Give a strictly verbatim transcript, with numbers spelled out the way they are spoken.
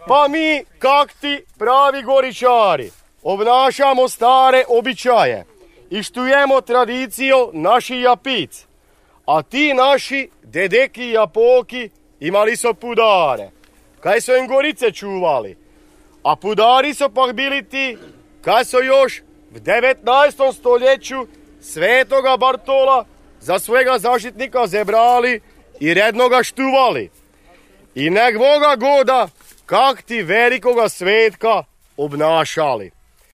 Pa mi, kak ti pravi goričari, obnašamo stare običaje i štujemo tradiciju naših japic. A ti naši dedeki i japoki imali su pudare, kaj su im gorice čuvali. A pudari su pak bili ti, kaj su još v devetnaestom stoljeću Svetoga Bartola za svojega zaštitnika zebrali i redno ga štuvali. I nek Boga goda, kak ti velikoga svetka obnašali.